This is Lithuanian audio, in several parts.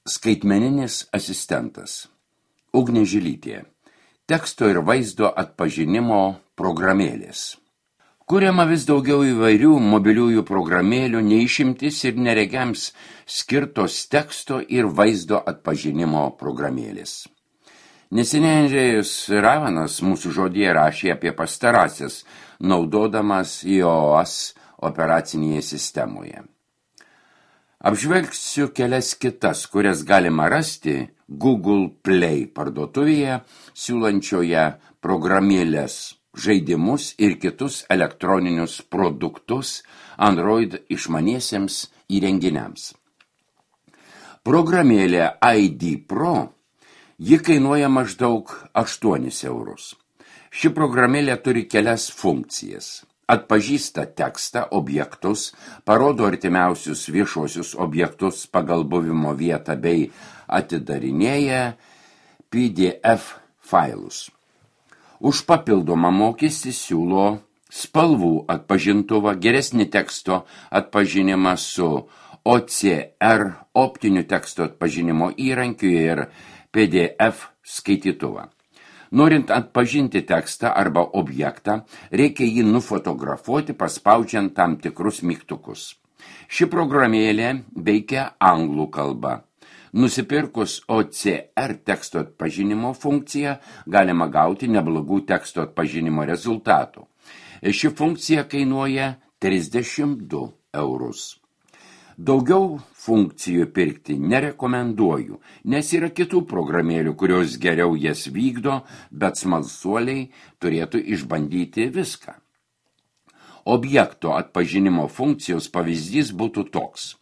Skaitmeninis asistentas. Ugnė Žilytė. Teksto ir vaizdo atpažinimo programėlės. Kuriama vis daugiau įvairių mobiliųjų programėlių, neišimtis ir neregiams skirtos teksto ir vaizdo atpažinimo programėlės. Neseniai Andrėjus Ravanas mūsų žodyje rašė apie pastarąsias, naudodamas iOS operacinėje sistemoje. Apžvelgsiu kelias kitas, kurias galima rasti Google Play parduotuvėje, siūlančioje programėlės, žaidimus ir kitus elektroninius produktus Android išmaniesiems įrenginiams. Programėlė ID Pro, ji kainuoja maždaug 8 eurus. Ši programėlė turi kelias funkcijas. Atpažįsta tekstą, objektus, parodo artimiausius viešuosius objektus pagal buvimo vietą bei atidarinėja PDF failus. Už papildomą mokestį siūlo spalvų atpažintuvą, geresnį teksto atpažinimą su OCR optiniu teksto atpažinimo įrankiu ir PDF skaitytuvą. Norint atpažinti tekstą arba objektą, reikia jį nufotografuoti, paspaudžiant tam tikrus mygtukus. Ši programėlė veikia anglų kalba. Nusipirkus OCR teksto atpažinimo funkciją, galima gauti neblogų teksto atpažinimo rezultatų. Ši funkcija kainuoja 32 eurus. Daugiau funkcijų pirkti nerekomenduoju, nes yra kitų programėlių, kurios geriau jas vykdo, bet smalsuoliai turėtų išbandyti viską. Objekto atpažinimo funkcijos pavyzdys būtų toks.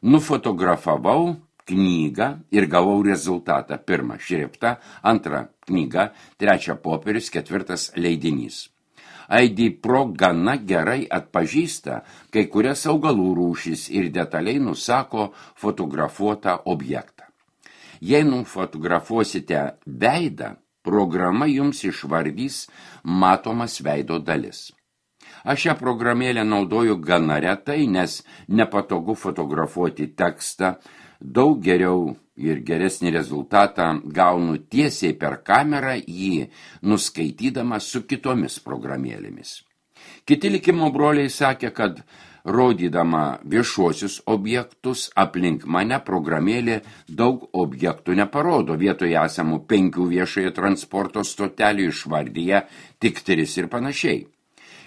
Nufotografavau knygą ir gavau rezultatą. 1 šriftą, 2 knyga, 3 popierius, 4 leidinys. ID Pro gana gerai atpažįsta kai kurias augalų rūšis ir detaliai nusako fotografuotą objektą. Jei nufotografuosite veidą, programa jums išvardys matomas veido dalis. Aš šią programėlę naudoju gana retai, nes nepatogu fotografuoti tekstą, daug geriau ir geresnį rezultatą gaunu tiesiai per kamerą jį nuskaitydama su kitomis programėlėmis. Kiti likimo broliai sakė, kad rodydama viešuosius objektus aplink mane programėlė daug objektų neparodo, vietoje esamų 5 viešojo transporto stotelių išvardyje tik 3 ir panašiai.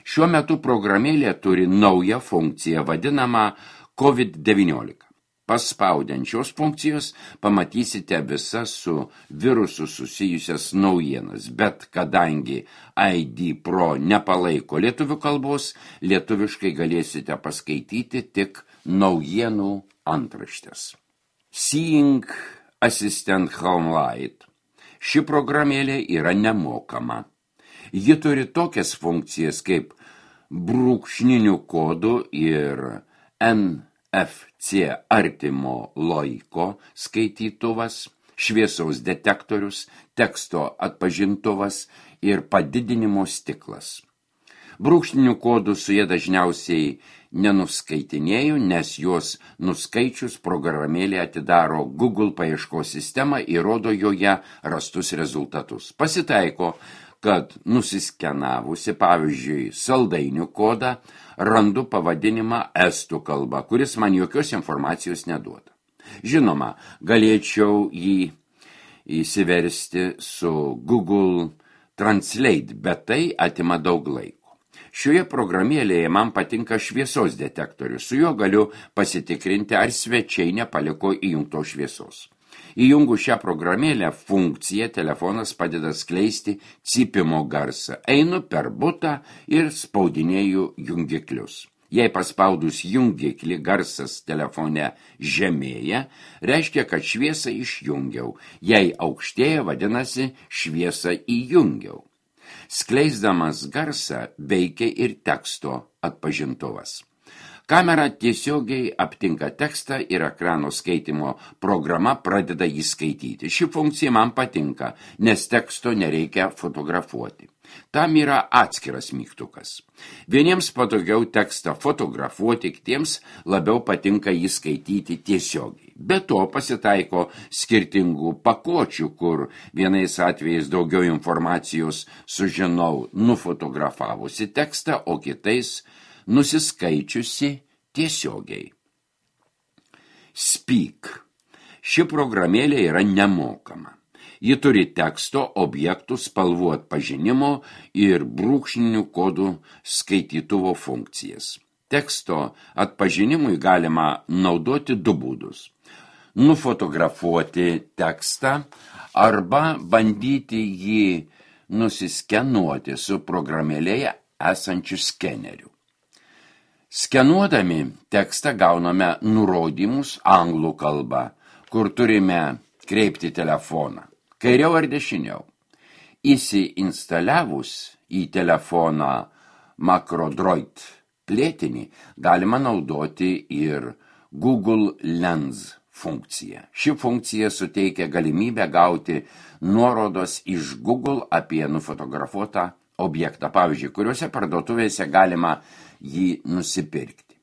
Šiuo metu programėlė turi naują funkciją vadinamą COVID-19. Paspaudiant šios funkcijos pamatysite visas su virusu susijusias naujienas, bet kadangi ID Pro nepalaiko lietuvių kalbos, lietuviškai galėsite paskaityti tik naujienų antraštes. Seeing Assistant Home Light. Ši programėlė yra nemokama. Ji turi tokias funkcijas kaip brūkšninių kodų ir NFC artimo laiko skaitytuvas, šviesaus detektorius, teksto atpažintuvas ir padidinimo stiklas. Brūkšninių kodų su jie dažniausiai nenuskaitinėju, nes juos nuskaičius programėlė atidaro Google paieškos sistemą ir rodo joje rastus rezultatus. Pasitaiko, kad nusiskenavusi, pavyzdžiui, saldainių kodą, randu pavadinimą estų kalba, kuris man jokios informacijos neduoda. Žinoma, galėčiau jį įsiversti su Google Translate, bet tai atima daug laiko. Šioje programėlėje man patinka šviesos detektorius, su juo galiu pasitikrinti, ar svečiai nepaliko įjungtos šviesos. Įjungus šią programėlę funkciją, telefonas padeda skleisti cypimo garsą. Einu per butą ir spaudinėju jungiklius. Jei paspaudus jungiklį garsas telefone žemėja, reiškia, kad šviesą išjungiau. Jei aukštėja, vadinasi, šviesą įjungiau. Skleisdamas garsą veikia ir teksto atpažintuvas. Kamera tiesiogiai aptinka tekstą ir ekrano skaitimo programa pradeda jį skaityti. Ši funkcija man patinka, nes teksto nereikia fotografuoti. Tam yra atskiras mygtukas. Vieniems patogiau tekstą fotografuoti, kitiems labiau patinka jį skaityti tiesiogiai. Be to pasitaiko skirtingų pakuočių, kur vienais atvejais daugiau informacijos sužinau nufotografavusi tekstą, o kitais nusiskaičiusi tiesiogiai. Speak. Ši programėlė yra nemokama. Ji turi teksto, objektų, spalvų atpažinimo ir brūkšninių kodų skaitytuvo funkcijas. Teksto atpažinimui galima naudoti du būdus. Nufotografuoti tekstą arba bandyti jį nusiskenuoti su programėlėje esančiu skeneriu. Skenuodami tekstą gauname nurodymus anglų kalba, kur turime kreipti telefoną, kairiau ar dešiniau. Įsiinstaliavus į telefoną MacroDroid plėtinį galima naudoti ir Google Lens funkciją. Ši funkcija suteikia galimybę gauti nuorodos iš Google apie nufotografuotą objektą, pavyzdžiui, kuriuose parduotuvėse galima jį nusipirkti.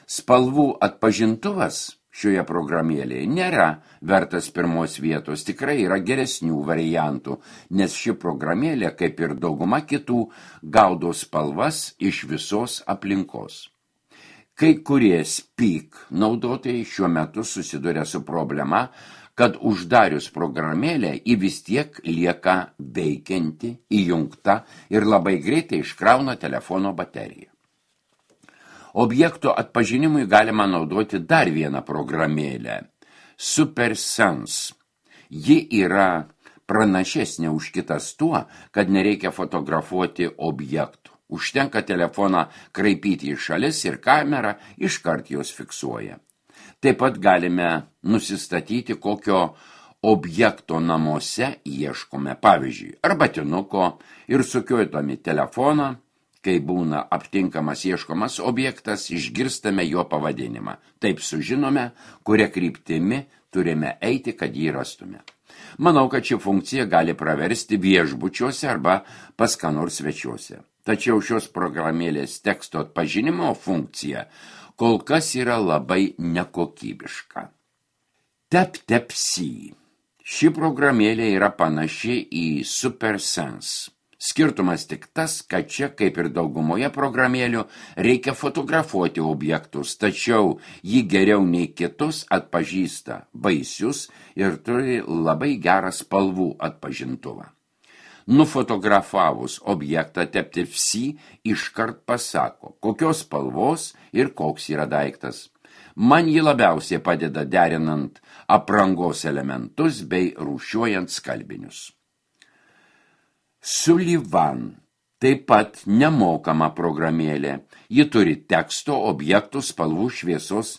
Spalvų atpažintuvas šioje programėlėje nėra vertas pirmos vietos, tikrai yra geresnių variantų, nes ši programėlė, kaip ir dauguma kitų, gaudo spalvas iš visos aplinkos. Kai kurie Speak naudotojai šiuo metu susiduria su problema, kad uždarius programėlę ji vis tiek lieka veikianti, įjungta ir labai greitai iškrauna telefono bateriją. Objekto atpažinimui galima naudoti dar vieną programėlę – SuperSense. Ji yra pranašesnė už kitas tuo, kad nereikia fotografuoti objektų. Užtenka telefoną kraipyti į šalis ir kamera iškart jos fiksuoja. Taip pat galime nusistatyti, kokio objekto namuose ieškome, pavyzdžiui, arbatinuko ir sukiojami telefoną. Kai būna aptinkamas ieškomas objektas, išgirstame jo pavadinimą. Taip sužinome, kuria kryptimi turime eiti, kad jį rastume. Manau, kad ši funkcija gali praversti viešbučiuose arba pas ką nors svečiuose. Tačiau šios programėlės teksto atpažinimo funkcija kol kas yra labai nekokybiška. TapTapSee. Ši programėlė yra panaši į SuperSense. Skirtumas tik tas, kad čia, kaip ir daugumoje programėlių, reikia fotografuoti objektus, tačiau jį geriau nei kitus atpažįsta baisius ir turi labai gerą spalvų atpažintuvą. Nufotografavus objektą TapTapSee iškart pasako, kokios spalvos ir koks yra daiktas. Man jį labiausiai padeda derinant aprangos elementus bei rūšiuojant skalbinius. Sullivan, taip pat nemokama programėlė. Ji turi teksto, objektų, spalvų, šviesos,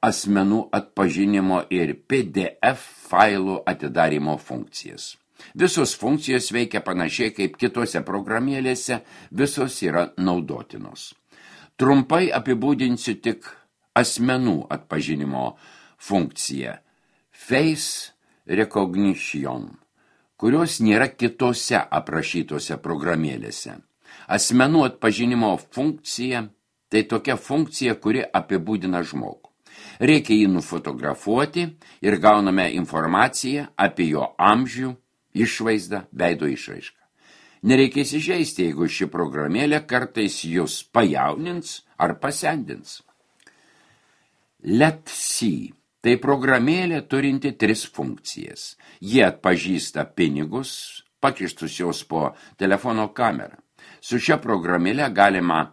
asmenų atpažinimo ir PDF failų atidarymo funkcijas. Visos funkcijos veikia panašiai kaip kitose programėlėse, visos yra naudotinos. Trumpai apibūdinsiu tik asmenų atpažinimo funkciją Face Recognition, kurios nėra kitose aprašytose programėlėse. Asmenų atpažinimo funkcija – tai tokia funkcija, kuri apibūdina žmogų. Reikia jį nufotografuoti ir gauname informaciją apie jo amžių, išvaizdą, veido išraišką. Nereikia įsižeisti, jeigu ši programėlė kartais jūs pajaunins ar pasendins. Let's See. Tai programėlė turinti 3 funkcijas. Jie atpažįsta pinigus, pakištus jos po telefono kamerą. Su šia programėlė galima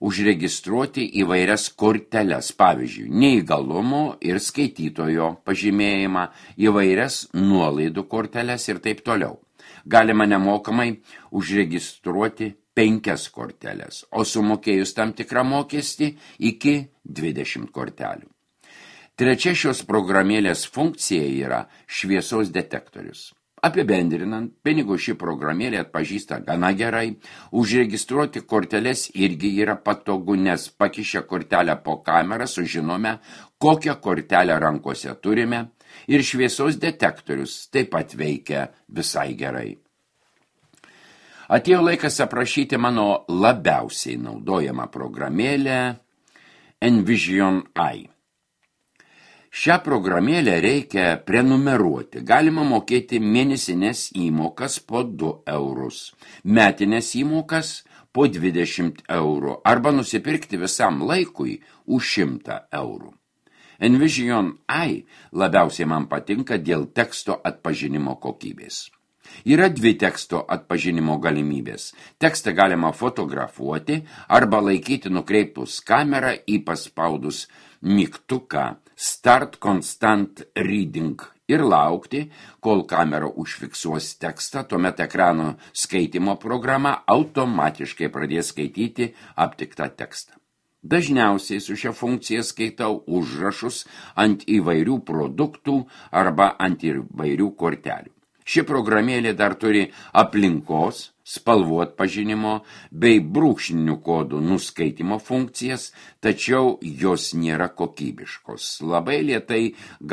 užregistruoti įvairias korteles, pavyzdžiui, neįgalumo ir skaitytojo pažymėjimą, įvairias nuolaidų korteles ir taip toliau. Galima nemokamai užregistruoti 5 korteles, o sumokėjus tam tikrą mokestį iki 20 kortelių. Trečia šios programėlės funkcija yra šviesos detektorius. Apibendrinant, pinigų ši programėlė atpažįsta gana gerai, užregistruoti korteles irgi yra patogu, nes pakišę kortelę po kamerą sužinome, kokią kortelę rankose turime ir šviesos detektorius taip pat veikia visai gerai. Atėjo laikas aprašyti mano labiausiai naudojamą programėlę Envision Eye. Šią programėlę reikia prenumeruoti. Galima mokėti mėnesinės įmokas po 2 eurus, metinės įmokas po 20 eurų arba nusipirkti visam laikui už 100 eurų. Envision AI labiausiai man patinka dėl teksto atpažinimo kokybės. Yra 2 teksto atpažinimo galimybės. Tekstą galima fotografuoti arba laikyti nukreipus kamerą į paspaudus mygtuką Start Constant Reading ir laukti, kol kamera užfiksuos tekstą, tuomet ekrano skaitimo programa automatiškai pradės skaityti aptiktą tekstą. Dažniausiai su šia funkcija skaitau užrašus ant įvairių produktų arba ant įvairių kortelių. Ši programėlė dar turi aplinkos, spalvų atpažinimo bei brūkšninių kodų nuskaitimo funkcijas, tačiau jos nėra kokybiškos. Labai lėtai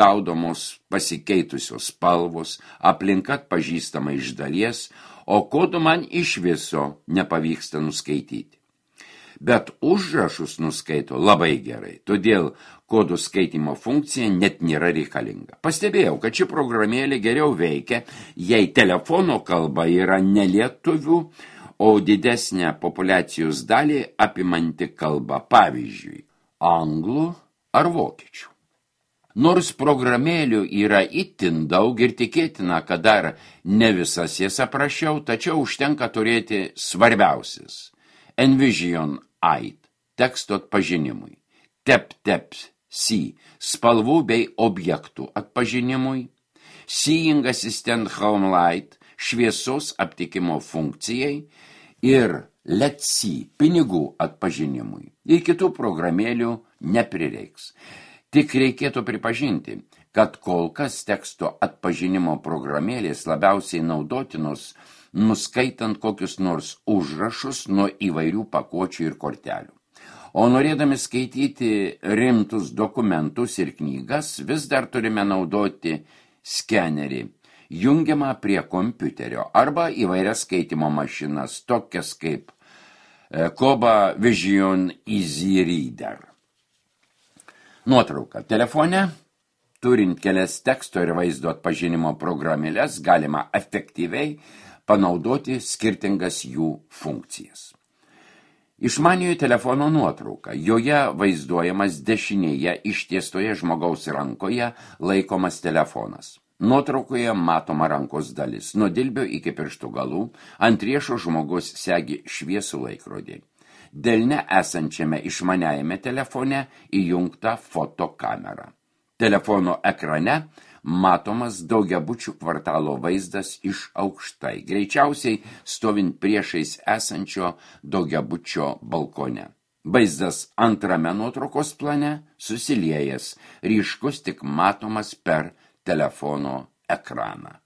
gaudomos pasikeitusios spalvos, aplinka atpažįstama iš dalies, o kodų man iš viso nepavyksta nuskaityti. Bet užrašus nuskaito labai gerai, todėl kodų skaitimo funkcija net nėra reikalinga. Pastebėjau, kad ši programėlė geriau veikia, jei telefono kalba yra ne lietuvių, o didesnę populiacijos dalį apimanti kalba, pavyzdžiui, anglų ar vokiečių. Nors programėlių yra itin daug ir tikėtina, kad dar ne visas jas aprašiau, tačiau užtenka turėti svarbiausias. Envision AI teksto atpažinimui, TapTap-See spalvų bei objektų atpažinimui, Seeing Assistant Home Light šviesos aptikimo funkcijai ir Let's See pinigų atpažinimui. Ir kitų programėlių neprireiks. Tik reikėtų pripažinti, kad kol kas teksto atpažinimo programėlės labiausiai naudotinos nuskaitant kokius nors užrašus nuo įvairių pakuočių ir kortelių. O norėdami skaityti rimtus dokumentus ir knygas, vis dar turime naudoti skenerį, jungiamą prie kompiuterio arba įvairias skaitimo mašinas, tokias kaip Koba Vision Easy Reader. Nuotrauka. Telefone, turint kelias teksto ir vaizdo atpažinimo programėles, galima efektyviai panaudoti skirtingas jų funkcijas. Išmaniojo telefono nuotrauka. Joje vaizduojamas dešinėje ištiestoje žmogaus rankoje laikomas telefonas. Nuotraukoje matoma rankos dalis. Nuo dilbio iki pirštų galų ant riešo žmogus segi šviesų laikrodį. Delne esančiame išmaniajame telefone įjungta fotokamera. Telefono ekrane matomas daugiabučių kvartalo vaizdas iš aukštai, greičiausiai stovint priešais esančio daugiabučio balkone. Vaizdas antrame nuotraukos plane susiliejęs, ryškus tik matomas per telefono ekraną.